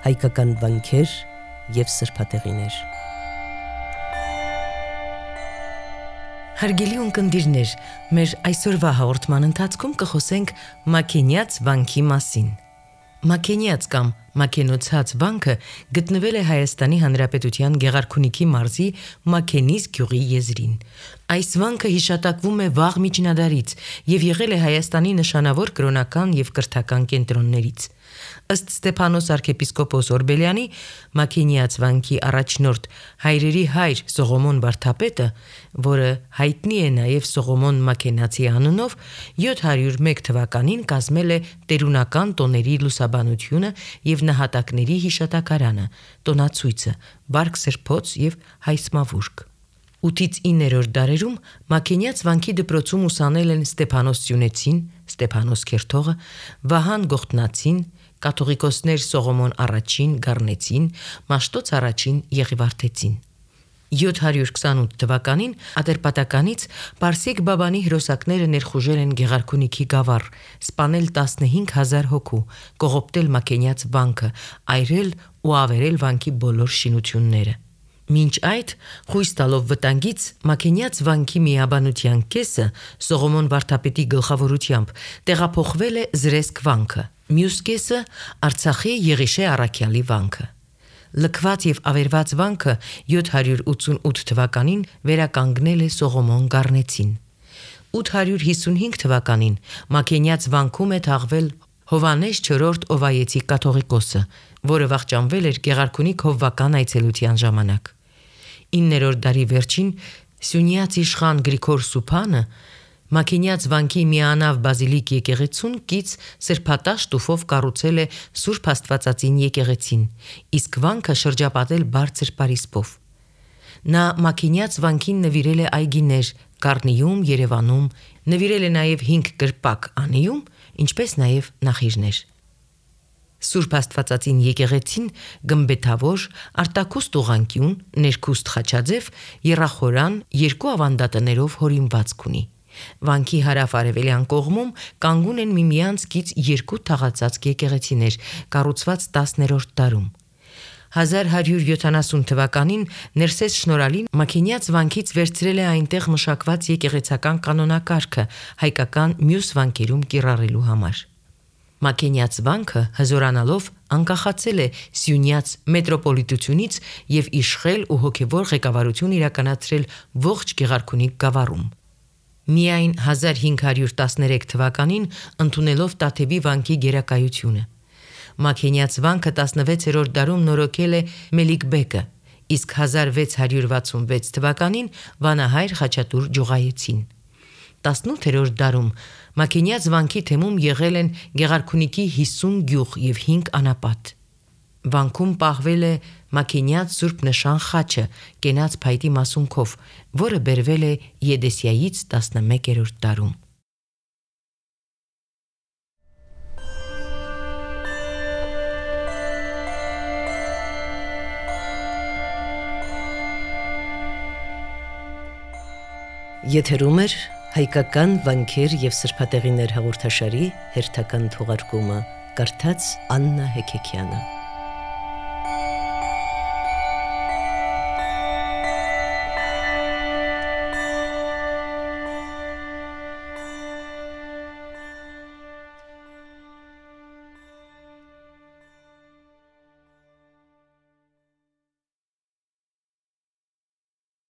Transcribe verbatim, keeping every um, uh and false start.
հայկական վանքեր և սրբատեղիներ։ Հարգելի ունկնդիրներ, մեր այսօրվա հաղորդման ընթացքում կխոսենք Մաքենյաց վանքի մասին։ Մաքենյաց կամ Մաքենոցած վանքը գտնվել է Հայաստանի Հանրապետության Գեղարքունիքի մարզի Մաքենիս գյուղի եզրին։ Այս վանքը հիշատակվում է վաղ միջնադարից և եղել է Հայաստանի նշանավոր կրոնական և կրթական կենտրոններից։ Ըստ Ստեփանոս arczepiskopos Օրբելյանի, Մաքենյաց վանքի առաջնորդ հայրերի հայր Սողոմոն վարդապետը, որը հայտնի է նաև Սողոմոն Մաքենացի անունով, յոթ հարյուր մեկ թվականին կազմել է տերունական տոների լուսաբանությունը և նահատակների հիշատակարանը, տոնացույցը, բարք սրբոց և հայսմավուրք։ ութից իններորդ դարերում Մաքենյաց վանքի դպրոցում ուսանել են Ստեփանոս Սյունեցին, Ստեփանոս Քերթողը, Վահան Գողտնացին, կաթողիկոսներ Սողոմոն առաջին Գառնեցին, Մաշտոց առաջին Եղիվարդեցին։ յոթ հարյուր քսանութ թվականին Ատրպատականից Պարսիկ Բաբանի հրոսակները ներխուժել են Գեղարքունիքի գավառ, սպանել տասնհինգ հազար հոգու, կողոպտել Մաքենյաց վանքը, այրել ու ավերել վանքի բոլոր շինությունները։ Մինչ այդ, խույս տալով վտանգից, Մաքենյաց վանքի միաբանության կեսը Սողոմոն վարդապետի գլխավորությամբ տեղափոխվել է Զրեսկ վանքը, մյուս կեսը Արցախի Եղիշե առաքյալի վանքը։ Լքված և ավերված վանքը յոթ հարյուր ութսունութ թվականին վերականգնել է Սողոմոն Գառնեցին։ ութ հարյուր հիսունհինգ թվականին Մաքենյաց վանքում է թաղվել Հովհաննես չորրորդ Օվայեցի կաթողիկոսը, որը վախճանվել էր Գեղարքունիք հովվական այցելության ժամանակ։ իններորդ դարի վերջին Սյունյաց իշխան Գրիգոր Սուփանը Մաքենյաց վանքի միանավ բազիլիկ եկեղեցուն կից սրբատաշ տուֆով կառուցել է Սուրբ Աստվածածին եկեղեցին, իսկ վանքը շրջապատել բարձր պարիսպով։ Նա Մաքենյաց վանքին նվիրել է այգիներ Գառնիում, Երևանում, նվիրել է նաև հինգ կրպակ Անիում, ինչպես նաև նախիրներ։ Սուրբ Աստվածածին եկեղեցին գմբեթավոր, արտաքուստ ուղղանկյուն, ներքուստ խաչաձև, եռախորան, երկու ավանդատներով հորինվածք ունի։ Վանքի հարավ-արևելյան կողմում կանգուն են միմյանց կից երկու թաղածածկ եկեղեցիներ, կառուցված տասներորդ դարում։ հազար հարյուր յոթանասուն թվականին Ներսես Շնորհալին Մաքենյաց վանքից վերցրել է այնտեղ մշակված եկեղեցական կանոնակարգը հայկական մյուս վանքերում կիրառելու համար։ Մաքենյաց վանքը հզորանալով անկախացել է Սյունյաց մետրոպոլիտությունից և իշխել ու հոգևոր ղեկավարություն իրականացրել ողջ Գեղարքունիք գավառում։ Միայն հազար հինգ հարյուր տասներեք թվականին ընդունելով Տաթևի վանքի գերակայությունը։ Մաքենյաց վանքը տասնվեցերորդ դարում նորոգել է Մելիքբեկը, իսկ հազար վեց հարյուր վաթսունվեց թվականին վանահայր Խաչատուր Ջուղայեցին։ տասնութերորդ դարում Մաքենյաց վանքի թեմում եղել են Գեղարքունիքի հիսուն գյուղ և հինգ անապատ։ Վանքում պահվել է Մաքենյաց Սուրբ Նշան խաչը կենաց փայտի մասունքով, որը բերվել է Եդեսիայից տասնմեկերորդ դարում։ Եթերում է հայկական վանքեր և սրբատեղիներ հաղորդաշարի հերթական թողարկումը, կարդաց Աննա Հեքեքյանը։